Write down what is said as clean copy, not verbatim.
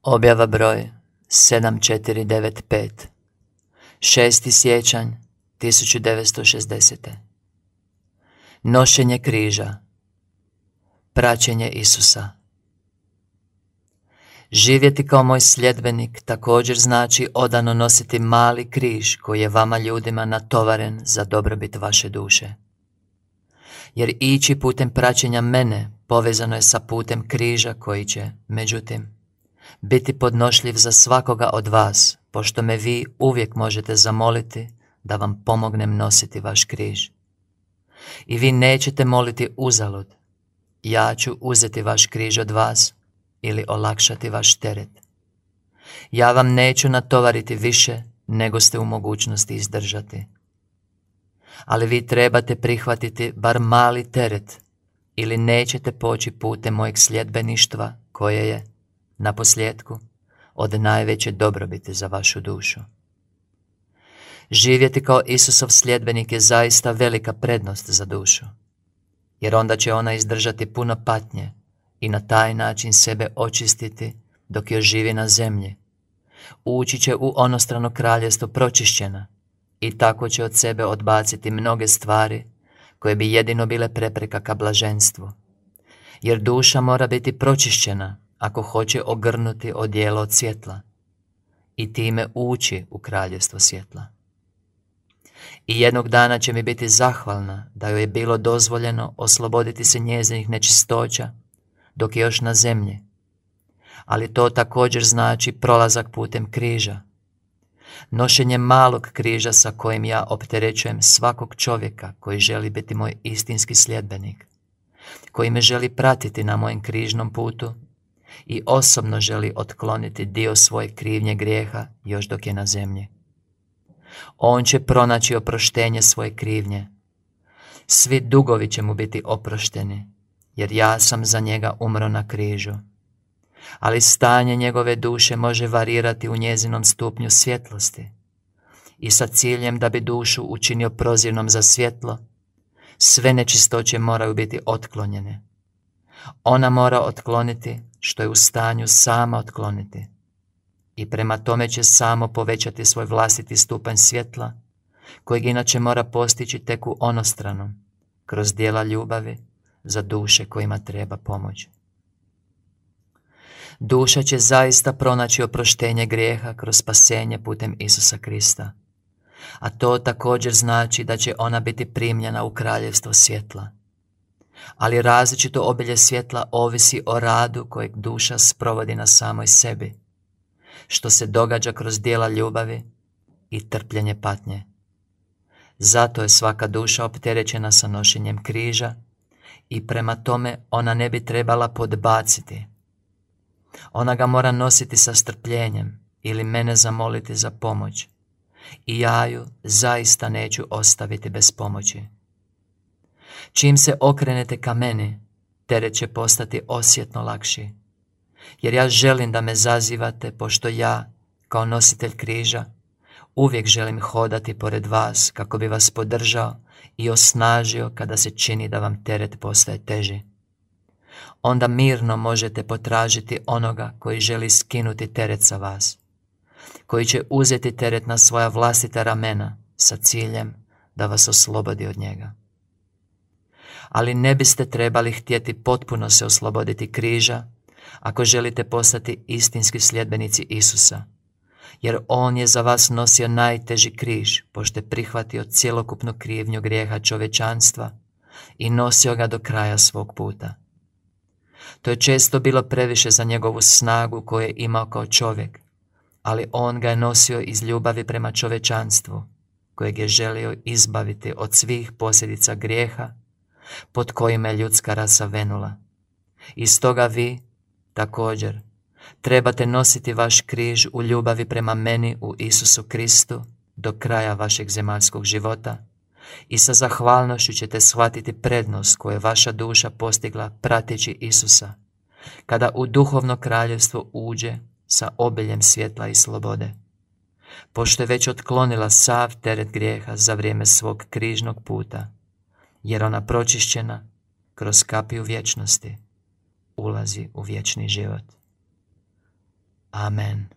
Objava broj 7495. 6. siječanj 1960. Nošenje križa. Praćenje Isusa. Živjeti kao moj sljedbenik također znači odano nositi mali križ koji je vama ljudima natovaren za dobrobit vaše duše. Jer ići putem praćenja mene povezano je sa putem križa koji će, međutim, biti podnošljiv za svakoga od vas, pošto me vi uvijek možete zamoliti da vam pomognem nositi vaš križ. I vi nećete moliti uzalud. Ja ću uzeti vaš križ od vas ili olakšati vaš teret. Ja vam neću natovariti više nego ste u mogućnosti izdržati. Ali vi trebate prihvatiti bar mali teret ili nećete poći putem mojeg sljedbeništva koje je, naposljetku, od najveće dobrobiti za vašu dušu. Živjeti kao Isusov sljedbenik je zaista velika prednost za dušu, jer onda će ona izdržati puno patnje i na taj način sebe očistiti dok još živi na zemlji. Ući će u onostrano kraljestvo pročišćena i tako će od sebe odbaciti mnoge stvari koje bi jedino bile prepreka ka blaženstvu. Jer duša mora biti pročišćena ako hoće ogrnuti odijelo od svjetla i time ući u kraljestvo svjetla. I jednog dana će mi biti zahvalna da joj je bilo dozvoljeno osloboditi se njezinih nečistoća dok je još na zemlji. Ali to također znači prolazak putem križa. Nošenje malog križa sa kojim ja opterećujem svakog čovjeka koji želi biti moj istinski sljedbenik, koji me želi pratiti na mojem križnom putu i osobno želi otkloniti dio svoje krivnje grijeha još dok je na zemlji. On će pronaći oproštenje svoje krivnje. Svi dugovi će mu biti oprošteni, jer ja sam za njega umro na križu. Ali stanje njegove duše može varirati u njezinom stupnju svjetlosti. I sa ciljem da bi dušu učinio prozirnom za svjetlo, sve nečistoće moraju biti otklonjene. Ona mora otkloniti što je u stanju sama otkloniti. I prema tome će samo povećati svoj vlastiti stupanj svjetla, kojeg inače mora postići tek u onostranu, kroz djela ljubavi za duše kojima treba pomoć. Duša će zaista pronaći oproštenje grijeha kroz spasenje putem Isusa Krista. A to također znači da će ona biti primljena u kraljevstvo svjetla. Ali različito obilje svjetla ovisi o radu kojeg duša sprovodi na samoj sebi, što se događa kroz djela ljubavi i trpljenje patnje. Zato je svaka duša opterećena sa nošenjem križa i prema tome ona ne bi trebala podbaciti. Ona ga mora nositi sa strpljenjem ili mene zamoliti za pomoć i ja ju zaista neću ostaviti bez pomoći. Čim se okrenete ka meni, teret će postati osjetno lakši, jer ja želim da me zazivate, pošto ja, kao nositelj križa, uvijek želim hodati pored vas kako bi vas podržao i osnažio kada se čini da vam teret postaje teži. Onda mirno možete potražiti onoga koji želi skinuti teret sa vas, koji će uzeti teret na svoja vlastita ramena sa ciljem da vas oslobodi od njega. Ali ne biste trebali htjeti potpuno se osloboditi križa ako želite postati istinski sljedbenici Isusa, jer On je za vas nosio najteži križ, pošto je prihvatio cjelokupnu krivnju grijeha čovječanstva i nosio ga do kraja svog puta. To je često bilo previše za njegovu snagu koju je imao kao čovjek, ali on ga je nosio iz ljubavi prema čovječanstvu, kojeg je želio izbaviti od svih posljedica grijeha pod kojima je ljudska rasa venula. I stoga vi, također, trebate nositi vaš križ u ljubavi prema meni u Isusu Kristu do kraja vašeg zemaljskog života i sa zahvalnošću ćete shvatiti prednost koju je vaša duša postigla prateći Isusa, kada u duhovno kraljevstvo uđe sa obiljem svjetla i slobode, pošto je već otklonila sav teret grijeha za vrijeme svog križnog puta, jer ona pročišćena kroz kapiju vječnosti ulazi u vječni život. Amen.